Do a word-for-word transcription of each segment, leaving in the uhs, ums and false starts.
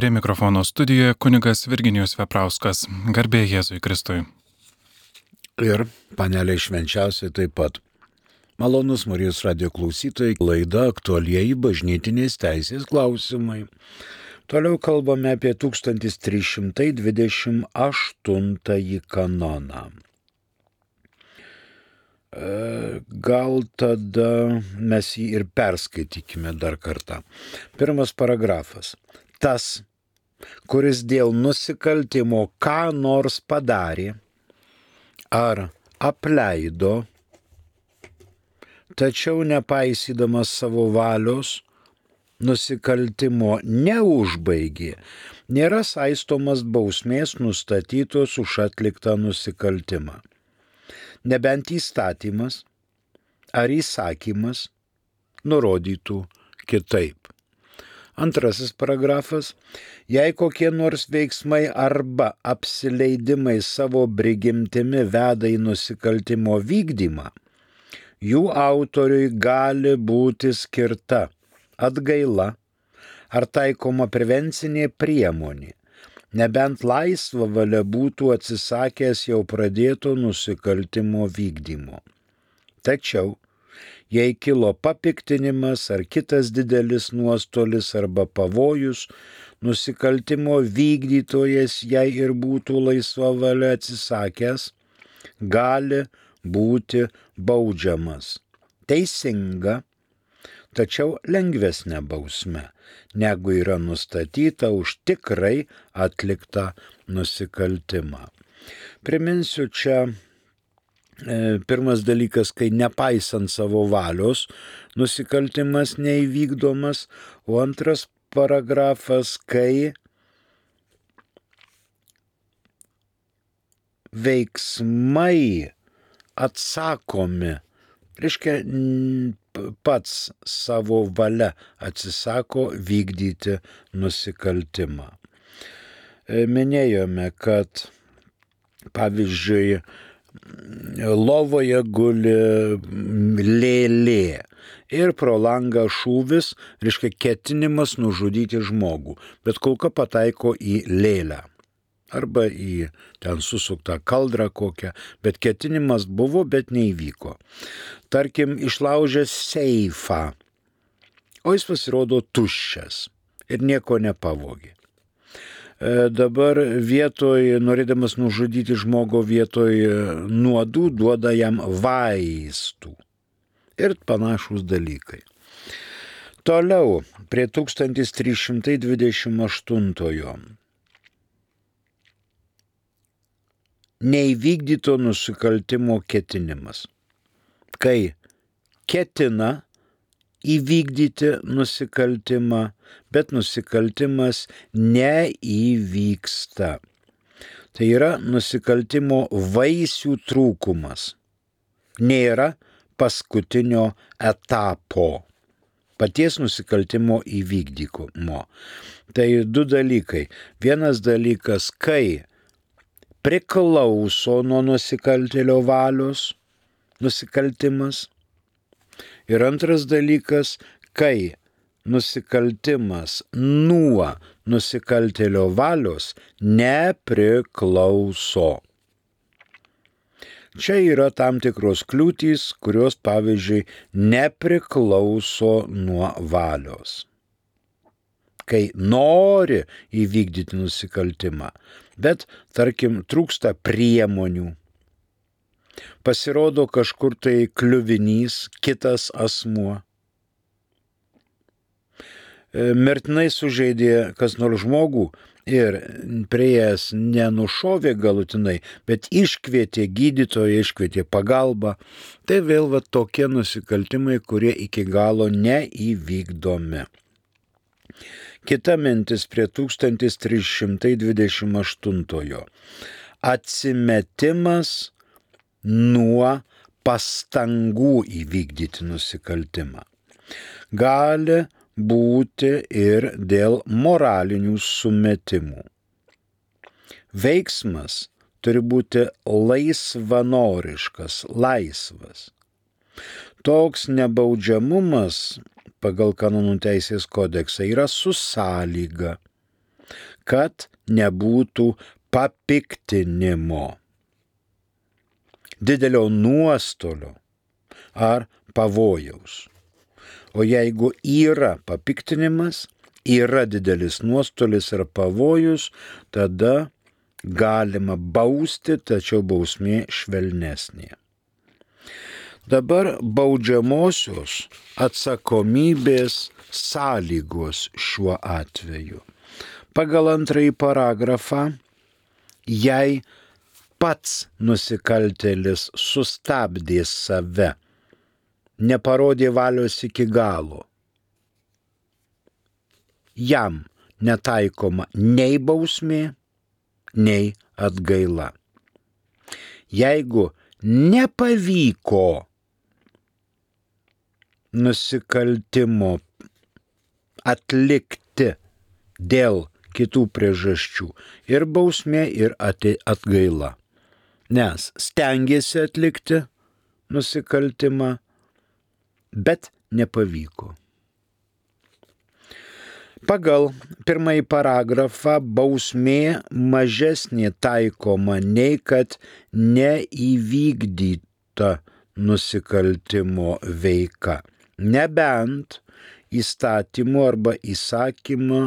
Prie mikrofono studijoje kunigas Virginijus Veprauskas. Garbė Jėzui Kristui. Ir panelė švenčiausiai taip pat. Malonus Marijos radijo klausytojai, laida aktualieji bažnytinės teisės klausimai. Toliau kalbame apie tūkstantis trys šimtai dvidešimt aštuntąjį kanoną. Gal tada mes jį ir perskaitykime dar kartą. Pirmas paragrafas. Tas, kuris dėl nusikaltimo ką nors padarė ar apleido, tačiau nepaisydamas savo valios, nusikaltimo neužbaigė, nėra saistomas bausmės nustatytos už atliktą nusikaltimą. Nebent įstatymas ar įsakymas nurodytų kitaip. Antrasis paragrafas. Jei kokie nors veiksmai arba apsileidimai savo prigimtimi veda į nusikaltimo vykdymą, jų autoriui gali būti skirta atgaila ar taikoma prevencinė priemonė, nebent laisva valia būtų atsisakęs jau pradėto nusikaltimo vykdymo. Tačiau, jei kilo papiktinimas ar kitas didelis nuostolis arba pavojus, nusikaltimo vykdytojas, jei ir būtų laisva valia atsisakęs, gali būti baudžiamas. Teisinga, tačiau lengvesnė bausmė, negu yra nustatyta už tikrai atliktą nusikaltimą. Priminsiu čia e, pirmas dalykas, kai nepaisant savo valios nusikaltimas neįvykdomas, o antras paragrafas, kai veiksmai atsakomi, reiškia pats savo valia atsisako vykdyti nusikaltimą. Minėjome, kad pavyzdžiui lovoje guli lėlė ir pro langą šūvis, reiškia ketinimas nužudyti žmogų, bet kulka pataiko į lėlę arba į ten susuktą kaldrą kokią, bet ketinimas buvo, bet neįvyko. Tarkim, išlaužęs seifą, o jis pasirodo tuščias ir nieko nepavogė. E, dabar vietoj, norėdamas nužudyti žmogų vietoj nuodų, duoda jam vaistų ir panašūs dalykai. Toliau, prie tūkstantis trys šimtai dvidešimt aštuntojo. Neįvykdyto nusikaltimo ketinimas. Kai ketina įvykdyti nusikaltimą, bet nusikaltimas neįvyksta. Tai yra nusikaltimo vaisių trūkumas. Nėra paskutinio etapo paties nusikaltimo įvykdymo. Tai du dalykai. Vienas dalykas, kai priklauso nuo nusikaltėlio valios nusikaltimas. Ir antras dalykas, kai nusikaltimas nuo nusikaltėlio valios nepriklauso. Čia yra tam tikros kliūtys, kurios, pavyzdžiui, nepriklauso nuo valios. Kai nori įvykdyti nusikaltimą, bet, tarkim, trūksta priemonių. Pasirodo kažkur tai kliuvinys, kitas asmuo. Mirtinai sužeidė kas nors žmogų ir prieėjęs nenušovė galutinai, bet iškvietė gydytoją, iškvietė pagalbą. Tai vėl va tokie nusikaltimai, kurie iki galo neįvykdomi. Kita mintis prie tūkstantis trys šimtai dvidešimt aštuntojo. Atsimetimas nuo pastangų įvykdyti nusikaltimą. Gali būti ir dėl moralinių sumetimų. Veiksmas turi būti laisvanoriškas, laisvas. Toks nebaudžiamumas pagal kanonų teisės kodeksą yra su sąlyga. kad nebūtų papiktinimo, didelio nuostolio ar pavojaus. O jeigu yra papiktinimas, yra didelis nuostolis ir pavojus, tada galima bausti, tačiau bausmė švelnesnė. Dabar baudžiamosios atsakomybės sąlygos šiuo atveju. Pagal antrąjį paragrafą, jei pats nusikaltėlis sustabdė save, neparodė valios iki galo, jam netaikoma nei bausmė, nei atgaila. Jeigu nepavyko nusikaltimo atlikti dėl kitų priežasčių, ir bausmė, ir atgaila. Nes stengėsi atlikti nusikaltimą, bet nepavyko. Pagal pirmąjį paragrafą bausmė mažesnė taikoma nei kad neįvykdyta nusikaltimo veika, nebent įstatymu arba įsakymu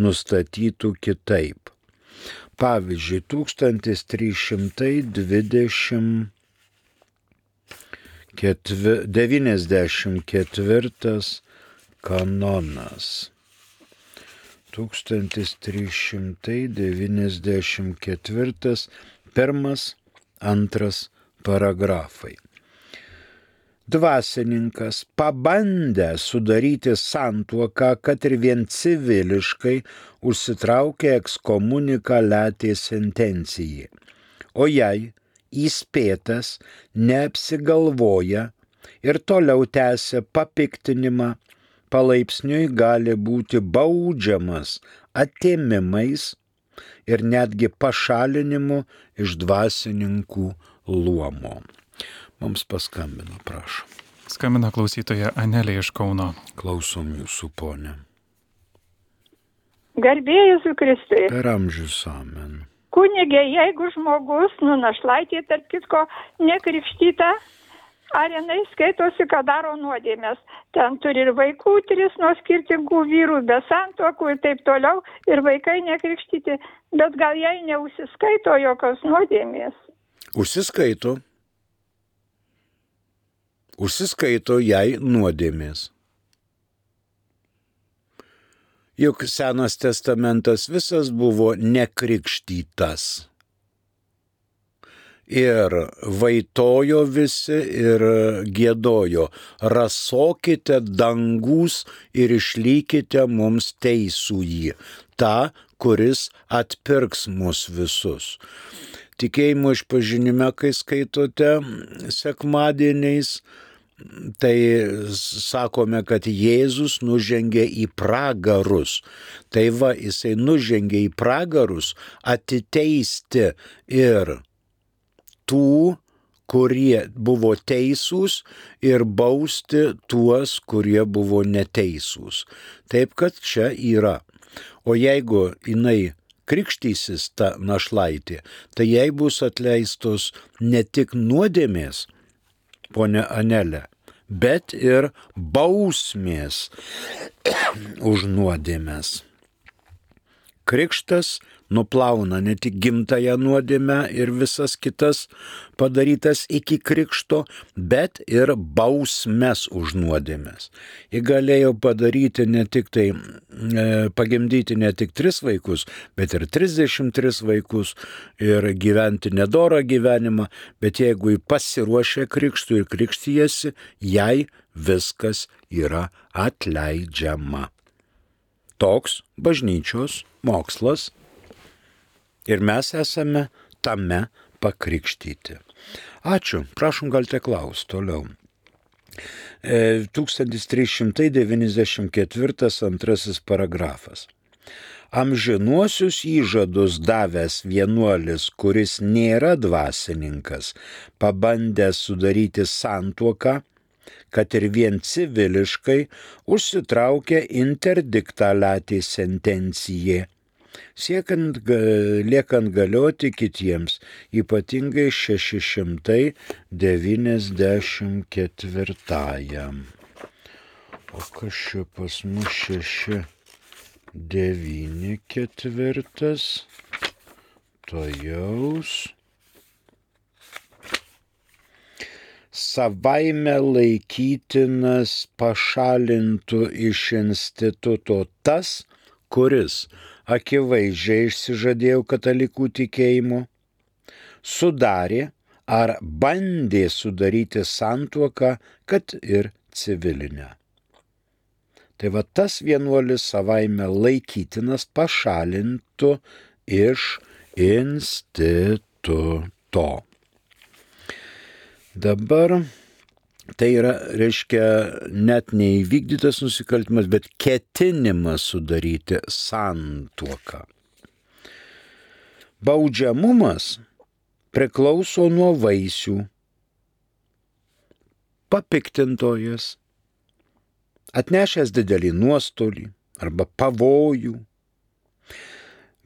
nustatytų kitaip. Pavyzdžiui, tūkstantis trys šimtai devyniasdešimt ketvirtas kanonas. tūkstantis trys šimtai devyniasdešimt ketvirtas pirmas, antras paragrafai. Dvasininkas pabandė sudaryti santuoką, kad ir vien civiliškai užsitraukė ekskomuniką letė sentencijai. O jei įspėtas neapsigalvoja ir toliau tęsia papiktinimą, palaipsniui gali būti baudžiamas atėmimais ir netgi pašalinimu iš dvasininkų luomo. Mums paskambino, prašom. Skambina klausytoja Anelė iš Kauno. Klausom jūsų, ponė. Garbė Jėzui Kristui. Per amžius amen. Kunigė, jeigu žmogus, nu našlaitė, tarp kitko, nekrikštyta, ar jinai skaitosi, kad daro nuodėmės. Ten turi ir vaikų tris nuo skirtingų vyrų, be santuokų ir taip toliau, ir vaikai nekrikštyti, bet gal jai neužsiskaito jokios nuodėmės. Užsiskaito. Užsiskaito jai nuodėmės. Juk Senas testamentas visas buvo nekrikštytas. Ir vaitojo visi ir giedojo, rasokite dangus ir išlykite mums teisųjį, tą, kuris atpirks mus visus. Tikėjimo išpažinime, kai skaitote sekmadieniais, tai sakome, kad Jėzus nužengė į pragarus. Tai va, jisai nužengė į pragarus atiteisti ir tų, kurie buvo teisūs, ir bausti tuos, kurie buvo neteisūs. Taip, kad čia yra. O jeigu jinai krikštysis ta našlaitė, tai jai bus atleistos ne tik nuodėmės, ponia Anelė, bet ir bausmės už nuodėmės. Krikštas nuplauna ne tik gimtąją nuodėmę ir visas kitas padarytas iki krikšto, bet ir bausmes už nuodėmes. Ji galėjo padaryti ne tik tai, e, pagimdyti ne tik tris vaikus, bet ir trisdešimt tris vaikus ir gyventi nedorą gyvenimą, bet jeigu ji pasiruošia krikštui ir krikštijasi, jai viskas yra atleidžiama. Toks bažnyčios mokslas ir mes esame tame pakrikštyti. Ačiū, prašom, galite klausti toliau. E, tūkstantis trys šimtai devyniasdešimt ketvirtas antrasis paragrafas. Amžinuosius įžadus davęs vienuolis, kuris nėra dvasininkas, pabandęs sudaryti santuoką, kad ir vien civiliškai užsitraukia interdiktą letė sentencijai. siekiant liekant galioti kitiems, ypatingai šeši šimtai devyniasdešimt ketvirtajam. O kas čia pas mus šeši devyni ketvirtas? Tojaus. Savaime laikytinas pašalintų iš instituto tas, kuris akivaizdžiai išsižadėjo katalikų tikėjimo, sudarė ar bandė sudaryti santuoką, kad ir civilinę. Tai va tas vienuolis savaime laikytinas pašalintų iš instituto. Dabar tai yra, reiškia, net neįvykdytas nusikaltimas, bet ketinimas sudaryti santuoką. Baudžiamumas priklauso nuo vaisių. Papiktintojas, atnešęs didelį nuostolį arba pavojų.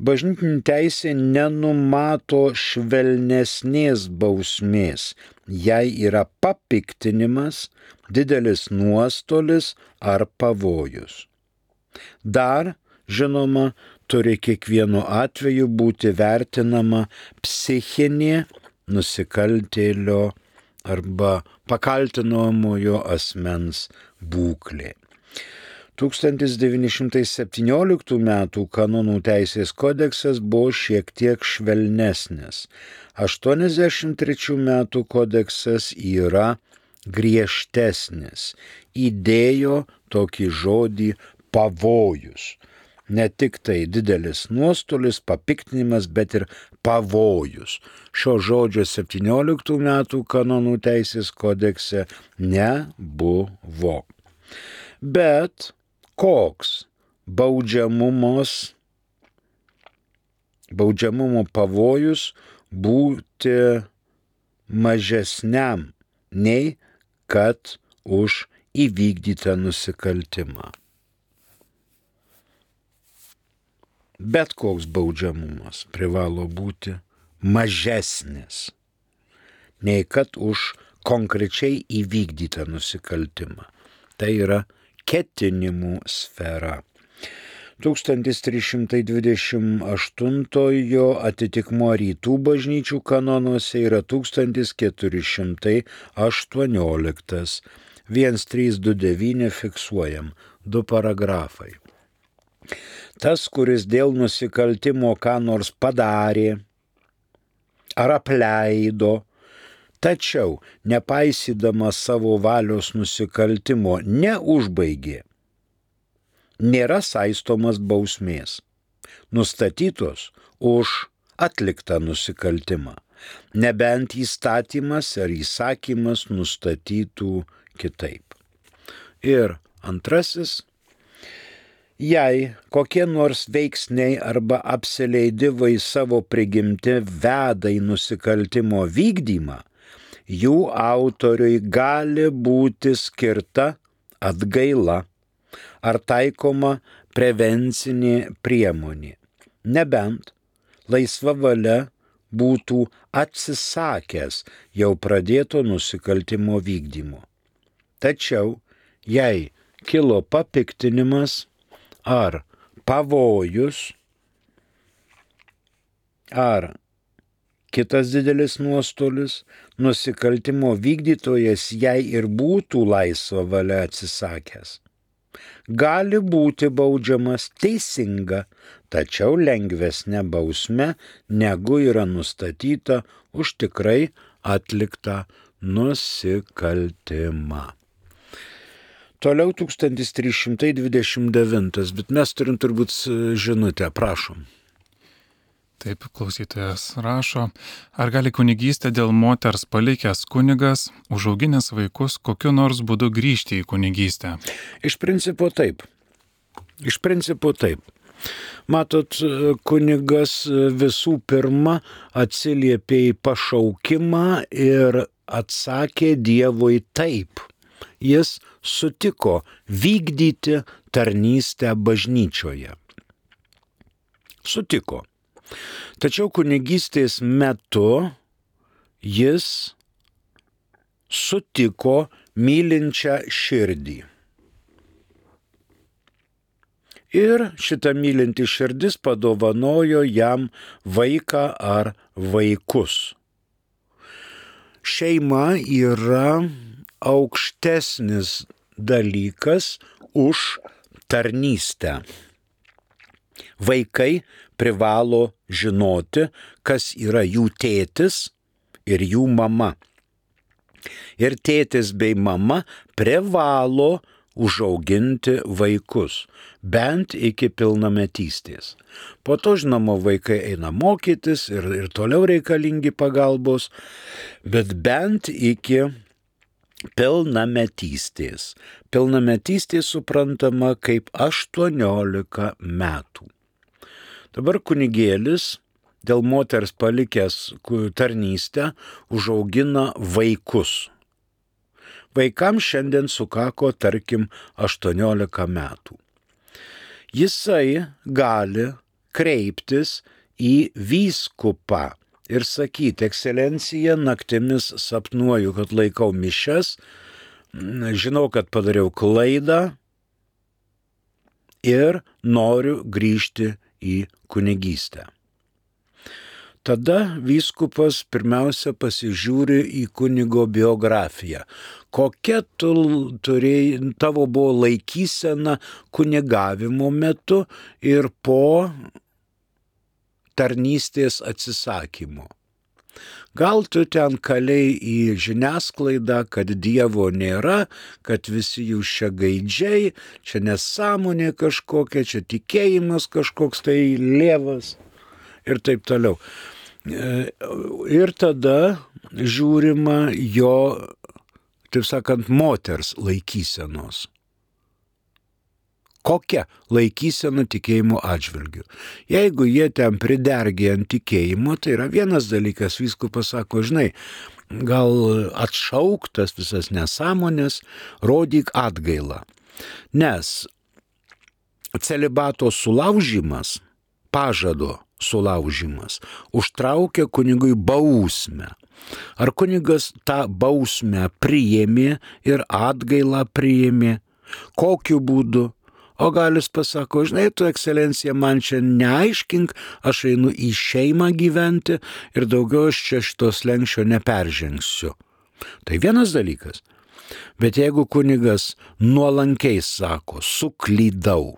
Bažnytinė teisė nenumato švelnesnės bausmės, jei yra papiktinimas, didelis nuostolis ar pavojus. Dar, žinoma, turi kiekvienu atveju būti vertinama psichinė nusikaltėlio arba pakaltinamojo asmens būklė. tūkstantis devyni šimtai septynioliktų metų kanonų teisės kodeksas buvo šiek tiek švelnesnis. aštuoniasdešimt trečių metų kodeksas yra griežtesnis. Įdėjo tokį žodį pavojus. Ne tik tai didelis nuostolis, papiktinimas, bet ir pavojus. Šio žodžio septynioliktų metų kanonų teisės kodekse nebuvo. Bet koks baudžiamumos, baudžiamumo pavojus būti mažesniam nei kad už įvykdytą nusikaltimą. Bet koks baudžiamumas privalo būti mažesnis nei kad už konkrečiai įvykdytą nusikaltimą. Tai yra ketinimų sfera. tūkstantis trys šimtai dvidešimt aštuntojo atitikmuo rytų bažnyčių kanonuose yra tūkstantis keturi šimtai aštuonioliktas. vienas trys du devyni fiksuojam, du paragrafai. Tas, kuris dėl nusikaltimo ką nors padarė ar apleido, tačiau nepaisydamas savo valios nusikaltimo neužbaigė, nėra saistomas bausmės, nustatytos už atliktą nusikaltimą, nebent įstatymas ar įsakymas nustatytų kitaip. Ir antrasis, jei kokie nors veiksniai arba apsileidimai savo prigimti veda į nusikaltimo vykdymą, jų autoriui gali būti skirta atgaila ar taikoma prevencinė priemonė, nebent laisva valia būtų atsisakęs jau pradėto nusikaltimo vykdymo. Tačiau, jei kilo papiktinimas ar pavojus, ar kitas didelis nuostolis, nusikaltimo vykdytojas jei ir būtų laisva valia atsisakęs, gali būti baudžiamas teisinga, tačiau lengvesnė bausmė, negu yra nustatyta už tikrai atliktą nusikaltimą. Toliau tūkstantis trys šimtai dvidešimt devintas, bet mes turim turbūt žinutę, prašom. Taip, klausytojas rašo, ar gali kunigystę dėl moters palikęs kunigas, užauginęs vaikus, kokiu nors būdu grįžti į kunigystę? Iš principo taip. Iš principo taip. Matot, kunigas visų pirma atsiliepė į pašaukimą ir atsakė Dievui taip. Jis sutiko vykdyti tarnystę bažnyčioje. Sutiko. Tačiau kunigystės metu jis sutiko mylinčią širdį. Ir šita mylinti širdis padovanojo jam vaiką ar vaikus. Šeima yra aukštesnis dalykas už tarnystę. Vaikai privalo žinoti, kas yra jų tėtis ir jų mama. Ir tėtis bei mama privalo užauginti vaikus, bent iki pilnametystės. Po to, žinoma, vaikai eina mokytis ir, ir toliau reikalingi pagalbos, bet bent iki pilnametystės. Pilnametystė suprantama kaip aštuoniolika metų. Dabar kunigėlis dėl moters palikęs tarnystę užaugina vaikus. Vaikams šiandien sukako, tarkim, aštuoniolika metų. Jisai gali kreiptis į vyskupą ir sakyti: ekscelencija, naktimis sapnuoju, kad laikau mišias, žinau, kad padariau klaidą ir noriu grįžti į kunigystę. Tada vyskupas pirmiausia pasižiūri į kunigo biografiją. Kokia tu turėjai, tavo buvo laikysena kunigavimo metu ir po tarnystės atsisakymo. Gal tu ten kalėjai į žiniasklaidą, kad Dievo nėra, kad visi jūs čia gaidžiai, čia nesąmonė kažkokia, čia tikėjimas kažkoks tai lievas ir taip toliau. Ir tada žiūrima jo, taip sakant, moters laikysenos. Kokia laikysena tikėjimo atžvilgiu. Jeigu jie ten pridergė ant tikėjimo, tai yra vienas dalykas, vyskupas sako: žinai, gal atšauktas visas nesąmonės, rodyk atgailą. Nes celibato sulaužimas, pažado sulaužimas, užtraukia kunigui bausmę. Ar kunigas tą bausmę priėmė ir atgailą priėmė? Kokiu būdu? O gal jis pasako: žinai, tu, ekscelencija, man čia neaiškink, aš einu į šeimą gyventi ir daugiau aš čia šitos lenkščio neperžengsiu. Tai vienas dalykas. Bet jeigu kunigas nuolankiai sako: suklydau,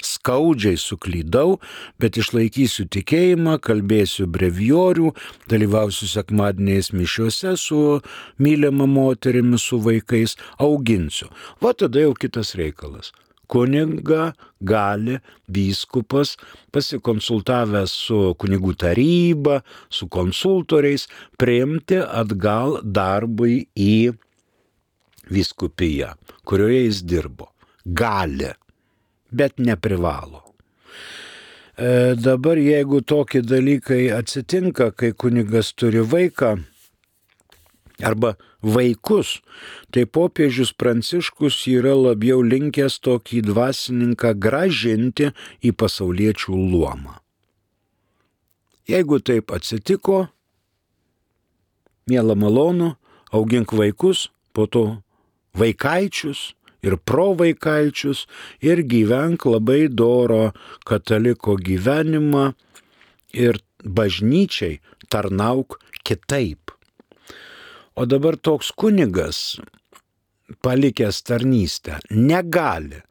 skaudžiai suklydau, bet išlaikysiu tikėjimą, kalbėsiu brevijorių, dalyvausiu sekmadieniais mišiuose su mylima moterimi, su vaikais, auginsiu. Va tada jau kitas reikalas. Kunigą gali vyskupas, pasikonsultavęs su kunigų taryba, su konsultoriais, priimti atgal darbui į vyskupiją, kurioje jis dirbo. Gali, bet neprivalo. E, dabar jeigu tokie dalykai atsitinka, kai kunigas turi vaiką arba vaikus, tai popiežius Pranciškus yra labiau linkęs tokį dvasininką grąžinti į pasauliečių luomą. Jeigu taip atsitiko, miela malonu, augink vaikus, po to vaikaičius ir provaikaičius ir gyvenk labai doro kataliko gyvenimą ir bažnyčiai tarnauk kitaip. O dabar toks kunigas, palikęs tarnystę, negali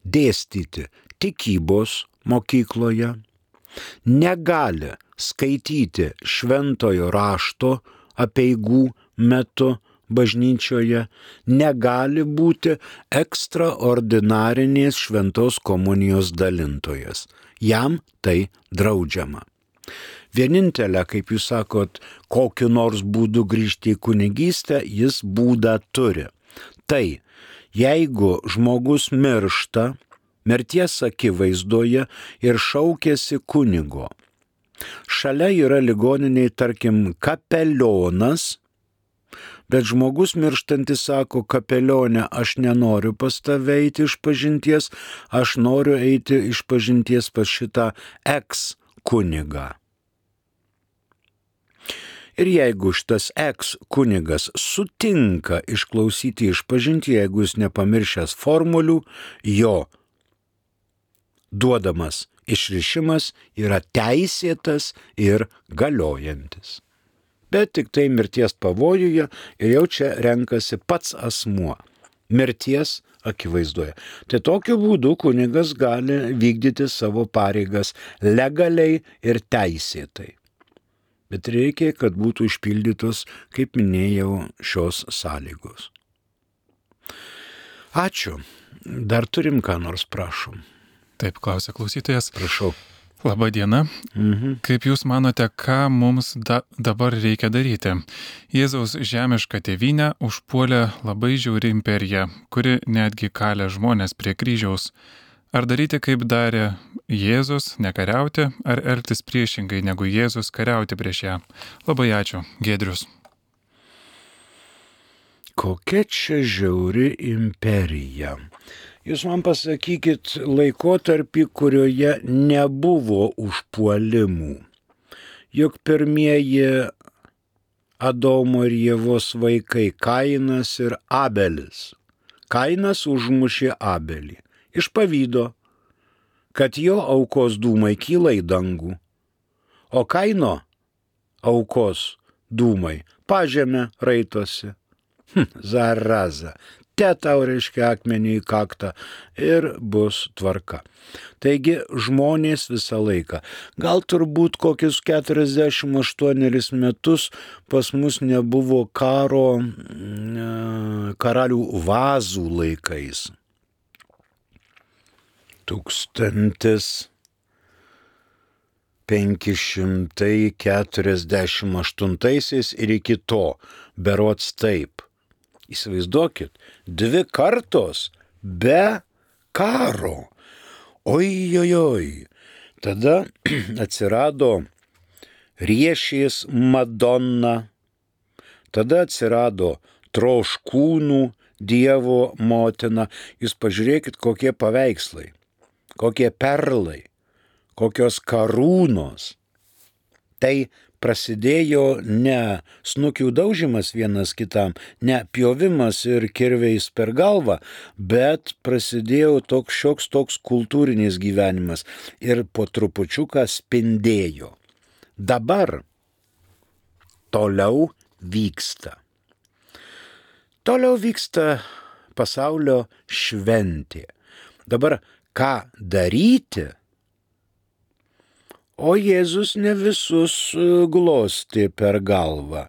dėstyti tikybos mokykloje, negali skaityti šventojo rašto apeigų metu bažnyčioje, negali būti ekstraordinarinės šventos komunijos dalintojas. Jam tai draudžiama. Vienintelė, kaip jūs sakot, kokiu nors būdu grįžti į kunigystę, jis būdą turi. Tai, jeigu žmogus miršta mirties akivaizdoje ir šaukiasi kunigo, šalia yra ligoniniai, tarkim, kapelionas, bet žmogus mirštantis sako: kapelionė, aš nenoriu pas tave eiti iš pažinties, aš noriu eiti iš pažinties pas šitą eks kunigą. Ir jeigu šitas eks kunigas sutinka išklausyti išpažinti, jeigu jis nepamiršęs formulių, jo duodamas išrišimas yra teisėtas ir galiojantis. Bet tik tai mirties pavojuje ir jau čia renkasi pats asmuo. Mirties akivaizdoje. Tai tokiu būdu kunigas gali vykdyti savo pareigas legaliai ir teisėtai. Bet reikia, kad būtų išpildytos, kaip minėjau, šios sąlygos. Ačiū. Dar turim ką nors, prašom. Taip, klausia klausytojas. Prašau. Labą dieną. Mhm. Kaip Jūs manote, ką mums da, dabar reikia daryti? Jėzaus žemišką tėvynę užpuolė labai žiauri imperija, kuri netgi kalė žmonės prie kryžiaus. Ar daryti, kaip darė Jėzus, nekariauti, ar elgtis priešingai negu Jėzus, kariauti prieš ją? Labai ačiū, Giedrius. Kokia čia žiauri imperija? Jūs man pasakykit laikotarpį, kurioje nebuvo užpuolimų. Juk pirmieji Adomo ir Ievos vaikai Kainas ir Abelis. Kainas užmušė Abelį. Iš pavydo, kad jo aukos dūmai kyla į dangų, o Kaino aukos dūmai pažemę raitosi. Hm, zaraza, te tau reiškia akmenį į kaktą ir bus tvarka. Taigi žmonės visą laiką, gal turbūt kokius keturiasdešimt aštuonerius metus pas mus nebuvo karo karalių Vazų laikais. Tūkstantis penki šimtai keturiasdešimt aštuntaisiais ir iki to, berods taip. Įsivaizduokit, dvi kartos be karo. Oi, oi, oi. Tada atsirado riešės Madonna, tada atsirado troškūnų Dievo motina. Jūs pažiūrėkit, kokie paveikslai. Kokie perlai, kokios karūnos. Tai prasidėjo ne snukių daužimas vienas kitam, ne pjovimas ir kirviais per galvą, bet prasidėjo toks šioks toks kultūrinis gyvenimas ir po trupučiuką spindėjo. Dabar toliau vyksta. Toliau vyksta pasaulio šventė. Dabar ką daryti? O Jėzus ne visus glostė per galvą.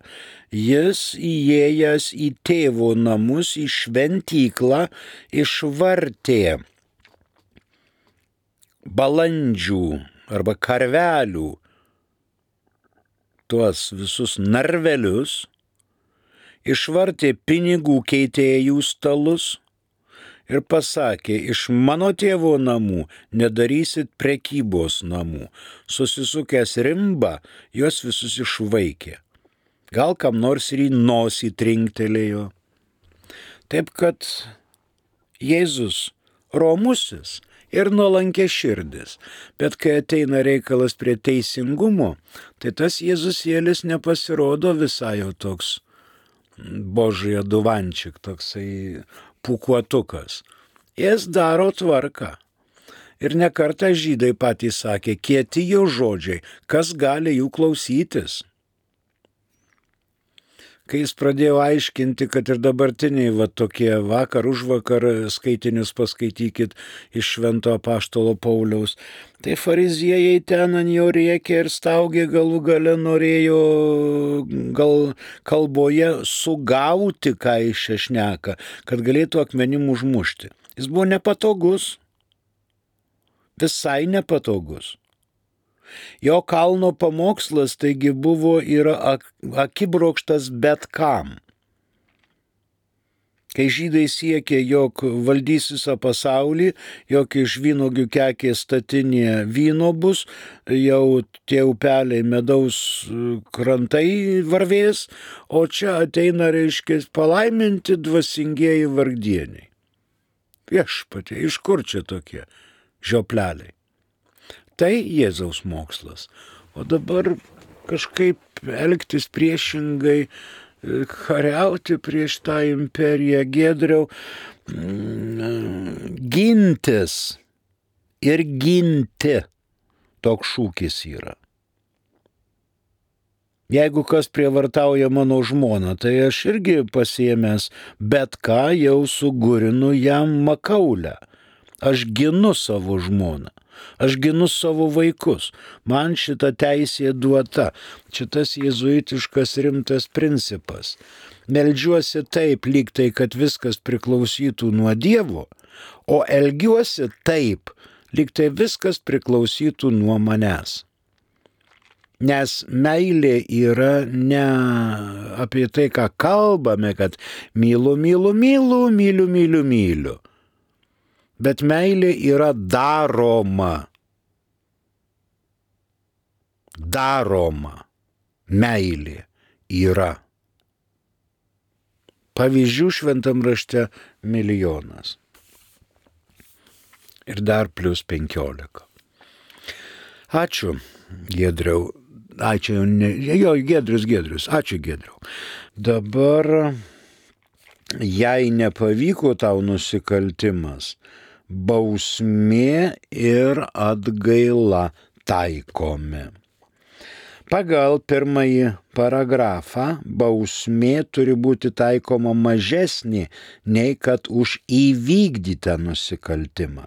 Jis įėjęs į tėvo namus, į šventyklą, išvartė balandžių arba karvelių tuos visus narvelius, išvartė pinigų keitėjų stalus, ir pasakė, iš mano tėvo namų nedarysit prekybos namų. Susisukęs rimba, juos visus išvaikė. Gal kam nors ir į nosį trinktelėjo. Taip kad Jėzus romusis ir nuolankiaširdis, bet kai ateina reikalas prie teisingumo, tai tas Jėzusėlis nepasirodo visai jau toks božai aduvančik, toksai pūkuotukas. Jis daro tvarką. Ir nekartą žydai patys sakė, kieti jo žodžiai, kas gali jų klausytis. Kai jis pradėjo aiškinti, kad ir dabartiniai va tokie vakar už vakar skaitinius paskaitykit iš Švento apaštalo Pauliaus, tai fariziejai ten ant jo rėkė ir staugė, galų gale norėjo gal kalboje sugauti, ką iš čia šneka, kad galėtų akmenim užmušti. Jis buvo nepatogus, visai nepatogus. Jo kalno pamokslas taigi buvo yra akibrokštas bet kam. Kai žydai siekė, jog valdys visą pasaulį, jog iš vynuogių kekės statinė vyno bus, jau tie upeliai medaus krantai varvės, o čia ateina, reiškia, palaiminti dvasingieji vargdieniai. Viešpatie, iš kur čia tokie žiopleliai? Tai Jėzaus mokslas. O dabar kažkaip elgtis priešingai, kariauti prieš tą imperiją, Giedriau, gintis ir ginti, toks šūkis yra. Jeigu kas prievartauja mano žmoną, tai aš irgi pasiėmęs bet ką jau sugurinu jam makaulę. Aš ginu savo žmoną. Aš ginu savo vaikus. Man šita teisė duota. Šitas jėzuitiškas rimtas principas. Meldžiuosi taip, lyg tai, kad viskas priklausytų nuo Dievo, o elgiuosi taip, lyg tai viskas priklausytų nuo manęs. Nes meilė yra ne apie tai, ką kalbame, kad myliu, myliu, myliu, myliu, myliu, myliu. Bet meilė yra daroma. Daroma. Meilė yra. Pavyzdžių šventam rašte milijonas. Ir dar plus penkiolika. Ačiū, Giedriau. Ačiū, ne, jo, Giedrius, Giedrius. Ačiū, Giedriau. Dabar, jei nepavyko tau nusikaltimas, bausmė ir atgaila taikomi. Pagal pirmąjį paragrafą bausmė turi būti taikoma mažesnė nei kad už įvykdytą nusikaltimą.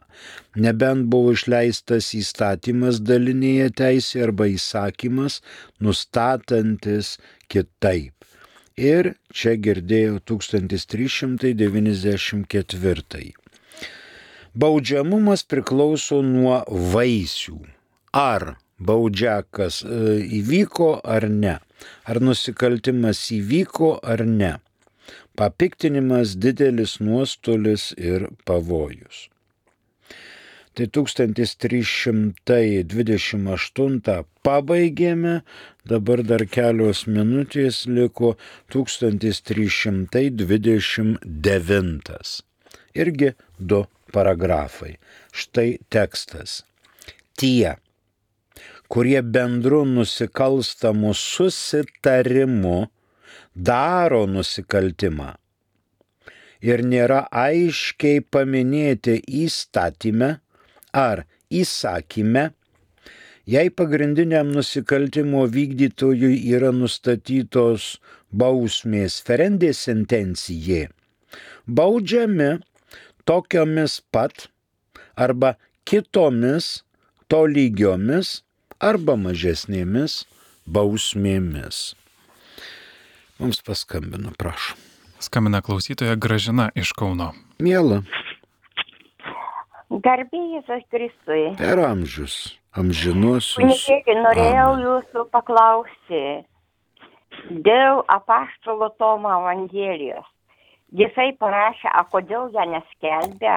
Nebent buvo išleistas įstatymas dalinėje teisėje arba įsakymas, nustatantis kitaip. Ir čia girdėjau tūkstantis trys šimtai devyniasdešimt ketvirtąjį. Baudžiamumas priklauso nuo vaisių. Ar baudžiakas įvyko ar ne? Ar nusikaltimas įvyko ar ne? Papiktinimas, didelis nuostolis ir pavojus. Tai tūkstantis trys šimtai dvidešimt aštuntą pabaigėme, dabar dar kelios minutės liko tūkstantis trys šimtai dvidešimt devintas. Irgi du paragrafai. Štai tekstas. Tie, kurie bendru nusikalstamu susitarimu daro nusikaltimą ir nėra aiškiai paminėti įstatyme ar įsakyme, jei pagrindiniam nusikaltimo vykdytojui yra nustatytos bausmės ferendė sentencijai, baudžiami tokiomis pat arba kitomis tolygiomis arba mažesnėmis bausmėmis. Mums paskambino, prašom. Skambina klausytoja Gražina iš Kauno. Miela. Garbė Jėzus Kristui. Per amžius, amžinuosius. Kunigėli, norėjau jūsų paklausti dėl apaštalo Tomo Evangelijos. Jisai parašė, a kodėl ją neskelbia?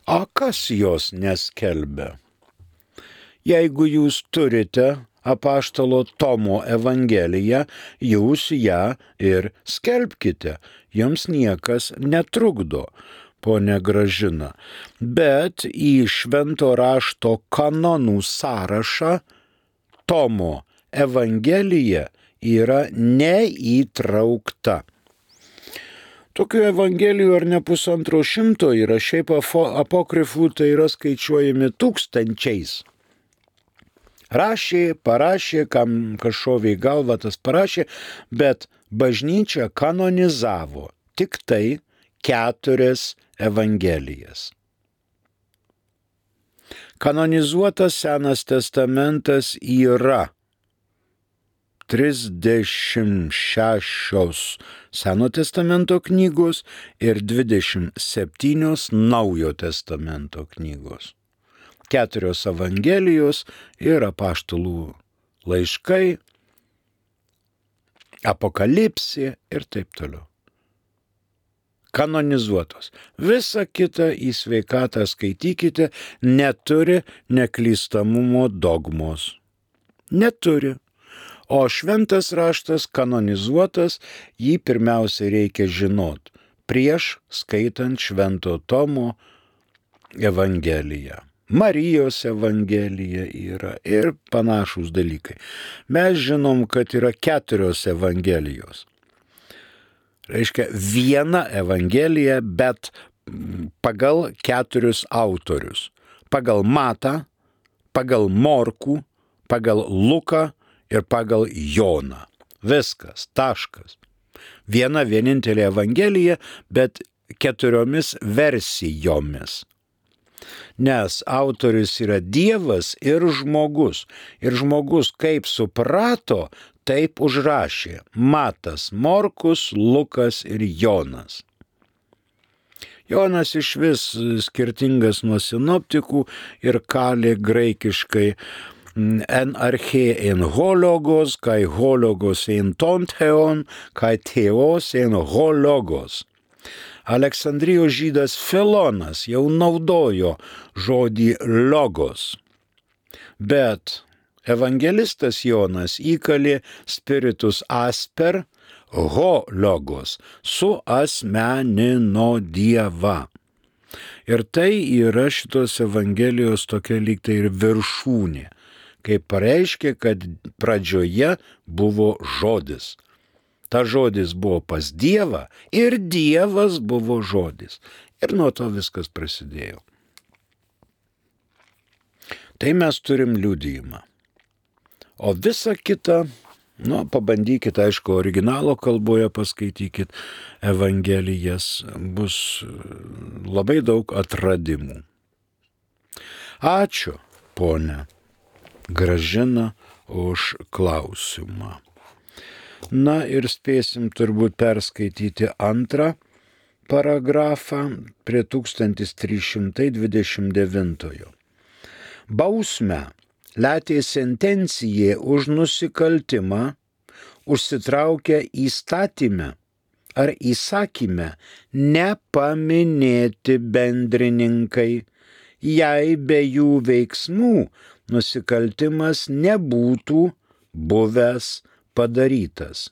O kas jos neskelbia? Jeigu jūs turite apaštalo Tomo Evangeliją, jūs ją ir skelbkite. Jums niekas netrukdo, ponia Gražina. Bet į švento rašto kanonų sąrašą Tomo Evangelija yra neįtraukta. Tokių evangelijų ar ne pusantro šimto yra, šiaip apokrifų tai yra skaičiuojami tūkstančiais. Rašė, parašė, kam kažšovė į galvą tas parašė, bet bažnyčia kanonizavo tik tai keturias evangelijas. Kanonizuotas Senas testamentas yra trisdešimt šešios Seno testamento knygos ir dvidešimt septynios Naujo testamento knygos. Keturios evangelijos ir apaštalų laiškai, apokalipsė ir taip toliau. Kanonizuotos. Visa kita į sveikatą skaitykite, neturi neklystamumo dogmos. Neturi. O šventas raštas kanonizuotas, jį pirmiausia reikia žinot prieš skaitant švento Tomo Evangeliją. Marijos Evangelija yra ir panašūs dalykai. Mes žinom, kad yra keturios Evangelijos. Reiškia, viena Evangelija, bet pagal keturius autorius. Pagal Matą, pagal Morkų, pagal Luką ir pagal Joną. Viskas, taškas. Viena vienintelė Evangelija, bet keturiomis versijomis. Nes autorius yra Dievas ir žmogus. Ir žmogus kaip suprato, taip užrašė. Matas, Morkus, Lukas ir Jonas. Jonas iš vis skirtingas nuo sinoptikų ir kalė graikiškai en arche en hologos, kai hologos en tontheon, kai theos en hologos. Aleksandrijos žydas Filonas jau naudojo žodį logos, bet evangelistas Jonas įkalė spiritus asper ho logos, suasmenino Dievą. Ir tai yra šitos Evangelijos tokia lyg tai ir viršūnė, kaip pareiškė, kad pradžioje buvo žodis. Ta žodis buvo pas Dievą ir Dievas buvo žodis. Ir nuo to viskas prasidėjo. Tai mes turim liudijimą. O visa kita, nu, pabandykit, aišku, originalo kalboje paskaitykit Evangelijas, bus labai daug atradimų. Ačiū, ponia Gražina, už klausimą. Na ir spėsim turbūt perskaityti antrą paragrafą prie tūkstantis trys šimtai dvidešimt devintojo. Bausmę letė sentencija už nusikaltimą užsitraukia įstatyme ar įsakyme nepaminėti bendrininkai, jei be jų veiksmų nusikaltimas nebūtų buvęs padarytas.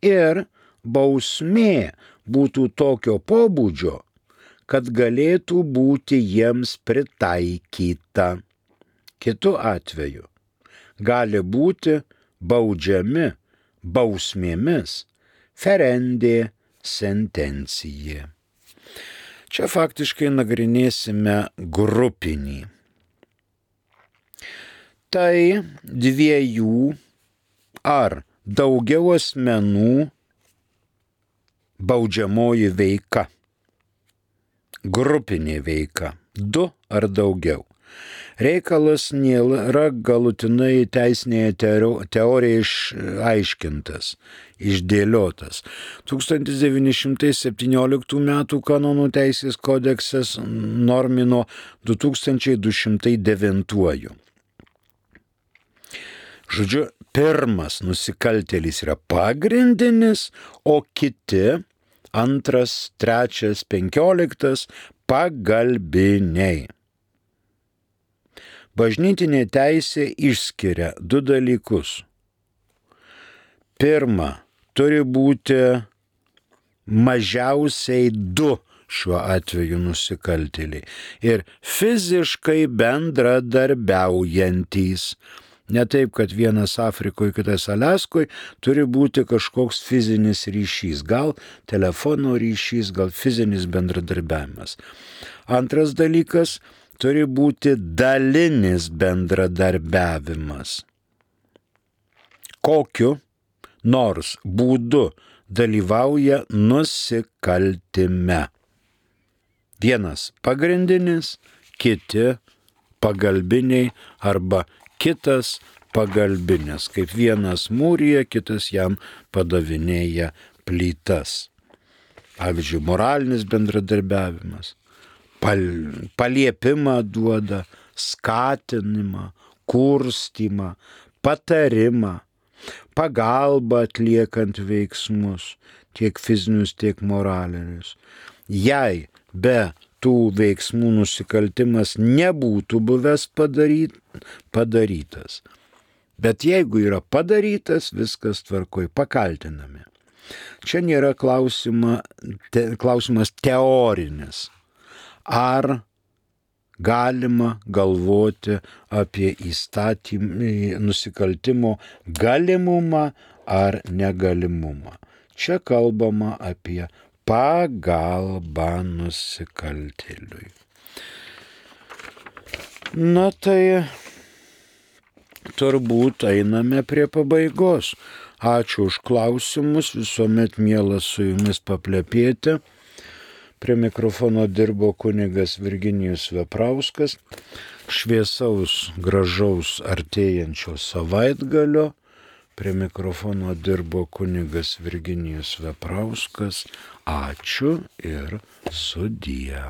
Ir bausmė būtų tokio pobūdžio, kad galėtų būti jiems pritaikyta. Kitu atveju gali būti baudžiami bausmėmis ferendė sentencija. Čia faktiškai nagrinėsime grupinį. Tai dviejų ar daugiau asmenų baudžiamoji veika. Grupinė veika. Du ar daugiau. Reikalas nėra galutinai teisinėje teorijoje išaiškintas, išdėliotas. tūkstantis devyni šimtai septynioliktų metų kanonų teisės kodeksas normino du tūkstančiai du šimtai devintuoju. Žodžiu, pirmas nusikaltėlis yra pagrindinis, o kiti antras, trečias, penkioliktas pagalbiniai. Bažnytinė teisė išskiria du dalykus. Pirma, turi būti mažiausiai du šiuo atveju nusikaltėliai ir fiziškai bendradarbiaujantys. Ne taip, kad vienas Afrikoje, kitas Aliaskoje, turi būti kažkoks fizinis ryšys, gal telefono ryšys, gal fizinis bendradarbiavimas. Antras dalykas, turi būti dalinis bendradarbiavimas. Kokiu nors būdu dalyvauja nusikaltime. Vienas pagrindinis, kiti pagalbiniai arba kitas pagalbinės, kaip vienas mūryje, kitas jam padavinėja plytas. Pavyzdžiui, moralinis bendradarbiavimas, pal, paliepimą duoda, skatinimą, kurstymą, patarimą, pagalbą atliekant veiksmus, tiek fizinius, tiek moralinius. Jei be tų veiksmų nusikaltimas nebūtų buvęs padaryt, padarytas. Bet jeigu yra padarytas, viskas tvarkoj, pakaltinami. Čia nėra klausima, te, klausimas teorinis. Ar galima galvoti apie įstatymį, nusikaltimo galimumą ar negalimumą. Čia kalbama apie pagalbą nusikaltėliui. Na tai turbūt einame prie pabaigos. Ačiū už klausimus, visuomet mielas su jumis paplepėti. Prie mikrofono dirbo kunigas Virginijus Veprauskas. Šviesaus, gražaus artėjančio savaitgalio. Prie mikrofono dirbo kunigas Virginijus Veprauskas. Ačiū ir sudie.